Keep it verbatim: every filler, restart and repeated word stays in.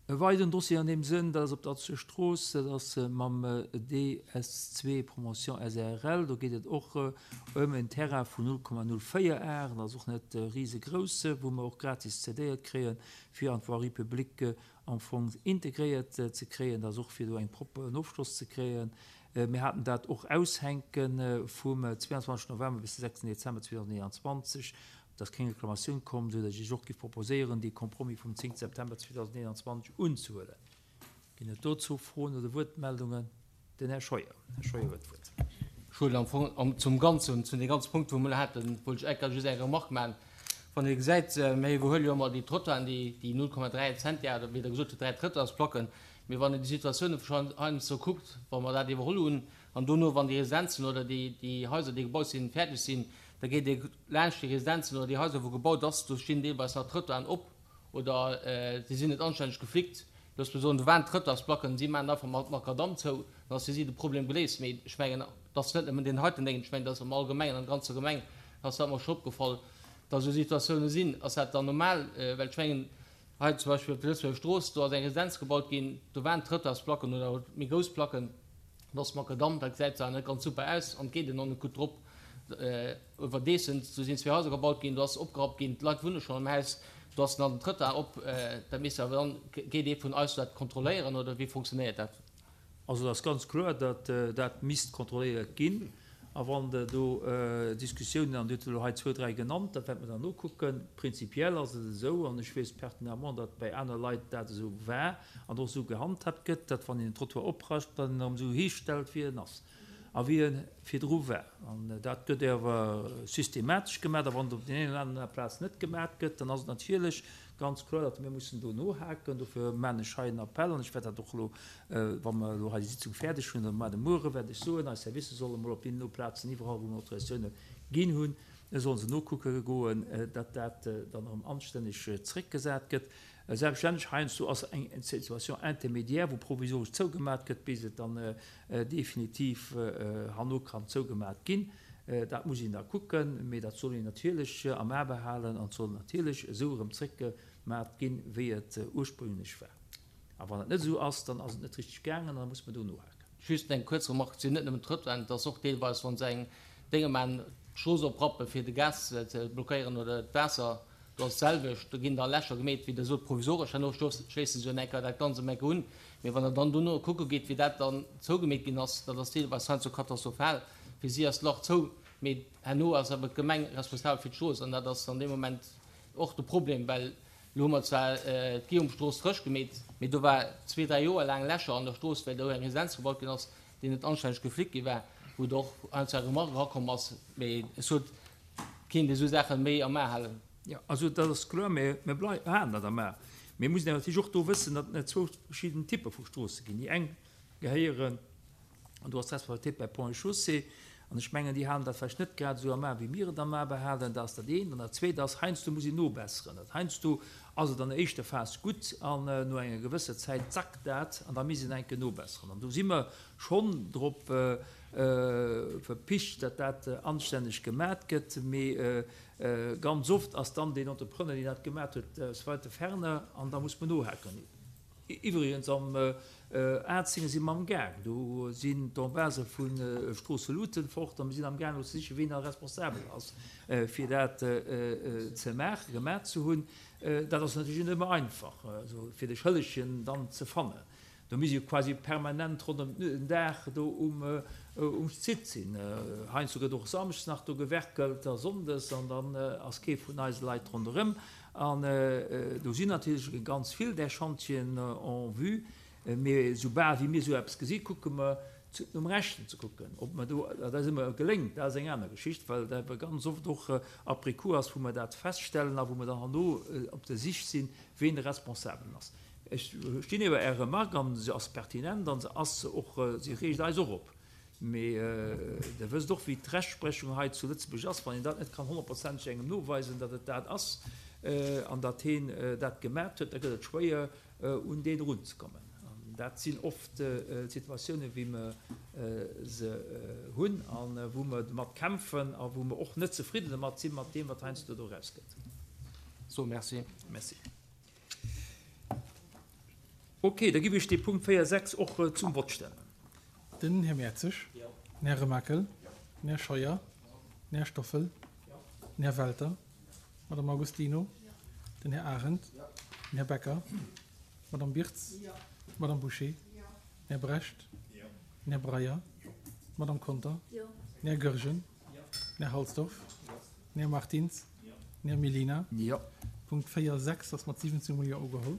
E weideren Dossier an deem Sënn, dat ass op der Atzeger Strooss, dat ass mam D S zwee Promotion S A R L. Do geet et och ëm en Terrain vun null Komma null véier Ar, dat ass och net risegrouss, wou mer och gratis cédéiert kréien, fir an d'Voirie publique am Fong integréiert ze kréien, dat ass och fir do eng propper Ofschloss ze kréien. Mir haten dat och aushänke vum zweiundzwanzigsten November bis de sechsten Dezember zweitausendeenundzwanzig, dass keng Reklamatioun kommt, sodass ich och géif proposéieren, dee Kompromiss vum zéngten September zweitausendeenundzwanzig unzehuelen. Ginn et dozou Froen oder Wuertmeldungen? Den Här Scheuer. Här Scheuer huet d'Wuert. Ech wollt am Fong, am, zum Ganzen, zu den ganzen Punkten, wou mir haten, wollt ich eigentlich just eng Remarque machen. Wann ihr gesäit, mir iwwerhuele jo ëmmer déi Trottoiren, déi, déi null Komma dräi Zentimeter, oder wéi der gesot hutt, dräi Trottoirsplacken. Mee wann ihr déi Situatioune schon heiansdo kuckt, wa mer dat iwwerholl hunn, an dono, wann déi Residenzen oder déi, déi Häuser, déi gebaut sinn, fertig sinn, da geht ihr laanscht déi Residenzen oder déi Häuser, wou gebaut ass, do stinn deelweis nach Trottoiren op oder, äh, déi sinn net anstänneg geflickt. Dass wir so, do waren Trottoirsplacken, sie machen einfach mat Makadam zou, dann ass fir sie de Problem geléist. Mee ich mengen, das ist net nëmmen den heiten Ding, ich mengen, das am Allgemeinen, an der ganzen Gemeng, das hat mir schon opgefallen, dass so Situationen sind, ass dat dann normal, äh, well ich mengen, hei zum Beispiel op der Lëtzebuerger Strooss, do ass eng Residenz gebaut ginn, do waren Trottoirsplacken oder méi grouss Placken, das Makadam, dat gesäit zwar net ganz super aus an geht noch net gut drop. Äh, iwwer Deessens, do sinn zwei Häuser gebaut ginn, do ass opgerappt ginn, d'Leit wunne schon am Haus, do ass dann den Trottoir op, äh, da misst awer dann geht ee vun eis dat kontrolléieren oder wie funktioniert dat? Also das ist ganz klar, dass, äh, dat misst kontrolléiert ginn. A wann de do, äh, Diskussionen an du hei zwei, drei genannt, dat werd man dann nokucken. Prinzipiell ass et esou, an ech weess pertinemment, datt bei aner Leit dat esou war an och so gehandhabt gëtt, datt wann een den Trottoir oprascht, dann erëm so histellt, wie en ass. A wie en virdru war. An dat gëtt awer systematisch gemacht, a wann op den einen oder anderen Platz net gemacht gëtt, dann ass et natierlech ganz klar, datt mir müssen do nohaken. Dofir man ech hei einen Appell, an ech werd dat och lo, äh, wann wir lo hei die Sitzung fertig hunn, dann de Muere werd ech soen, eis Service solle mol op den Plazen iwwerall, wou wir Autorisatiounen ginn hunn, sollen se nokucke goen, äh, datt dat, äh, dann erëm anstänneg, äh, zréckgesat gëtt. Äh, selbstverständlich heiansdo ass eng Situation intermédiaire, wou provisorisch zougemaat gëtt, bis et dann, äh, äh, definitiv, äh, hanno kann zougemaat ginn. Äh, dat muss een da kucken, mee dat soll een natierlech, äh, am A behalen an soll natierlech esou erëm zréckgemaat ginn, wéi et, äh, ursprünglech war. A wann et net esou ass, dann ass et net richtig gaangen, dann muss man do nohaken. Just eng kurze Remarque, sind net nëmmen Trottoiren, dass och deelweis, wann se eng Dinge man, d'Strooss oprappe fir de Gas, äh, ze blockéieren oder d'Waasser, do ass selwecht, do ginn da Lächer gemeet, wéi der sot, provisorisch, herno stoss-, schléissen se en Ecker dat ganze Mecke un. Mee wann der dann dono kucke geht, wie dat dann zougemeet ginn ass, dat ass deelweis heiansdo katastrophal. Fir sie ass d'Lach zou, mee herno ass awer d'Gemeng responsabel fir d'Strooss, an dat ass an dem Moment och de Problem, well lo hu mer zwar, äh, d'Guillaume-Strooss frësch gemeet, mee do war zwei, drei Joer lang Lächer an der Strooss, well do eng Residenz gebaut ginn ass, déi net anstänneg geflickt gi war, wou doch ein, zwei Remarken rakomm ass, mee es huet keen déi so Sachen méi am A halen. Ja, also dat ass klar, mir, mir blei-, halen dat am A. Mir müssen ja natürlich och do wëssen, datt et zwou verschieden Typen vu Stroosse ginn. Déi eng gehéieren, an du hast Responsabilität bei Pont et Chaussée, an ech mengen, déi halen dat vielleicht net grad esou am A, wéi mir et am A behalen, dat ass dat eent. An dat zweet ass, heiansdo muss ich nobesseren. Dat heiansdo ass et an der éischter Phas gutt, an, äh, no enger gewësser Zäit zackt dat, an da muss ich enke nobesseren. An do si mer schon drop, äh, äh, verpicht, datt dat, äh, anstänneg gemat gëtt, mee, äh, äh, ganz oft ass dann den Entrepreneur, deen dat gemat huet, aus weiter Ferne, an da muss man nohaken. I-, Iwwregens am, äh, Azinge si mer am Gang. Do sinn d'Embase vun, äh, Strosseluten fort, an wir sinn am Gang, wo sicher wien da responsabel ass, äh, fir dat, äh, äh, ze maachen, gemat ze hunn. Äh, dat ass natürlich net ëmmer einfach, also fir de Schëllegen dann ze fannen. Da muss ich quasi permanent rund um den Dach do um, äh, um Site sinn. Äh, heiansdo gëtt och samschdes nach do gewerkelt, a sonndes, an dann, äh, ass kee vun eise Leit ronderëm. An, äh, äh, do sinn natürlich ganz vill der Schantjen, äh, en vue. Äh, mee soubal wie mir so etwas gesinn, gucke mer zu, um Rechten zu gucken. Ob man do, dat ass ëmmer geléngt, dat ass eng aner Geschicht, well dat ganz oft och, äh, après coup ass, wou mer dat feststellen, a wou mer dann herno, äh, op der Sicht sinn, wien de Responsabel ass. Ech stinn iwwer Är Remarque an se ass pertinent an se ass och, äh, sie reegt eis och op. Mee, äh, der wësst och, wie d'Rechtsprechung hei zu Lëtzebuerg ass, wann een dat net kann honnertprozentig engem noweisen, datt et dat ass, äh, an datt heen, äh, dat gemat huet, da gëtt et schwéier, äh, un deen runzekommen. An dat sinn oft, äh, Situatiounen, wéi mer, äh, se, äh, hunn an, äh, wou mer mat kämpfen a wou mer och net zefridden domat sinn, mat deem, wat heiansdo do rausgëtt. So, merci. Merci. Ok, da giff ech dee Punkt véier sechs och zum Vott stellen. Den Här Mertzig. Den Här Remakel. Den Här Scheuer. Den Här Stoffel. Den Här Welter. D'Madame Agostino. Den Här Arendt. Den Här Becker. D'Madame Birtz. D'Madame Bouché. Den Här Brecht. Den Här Breyer. D'Madame Conter. Den Här Goergen. Den Här Halsdorf. Den Här Martins. Den Här Mellina. Punkt véier sechs ass mat siwwenzéng Mol Jo ugeholl.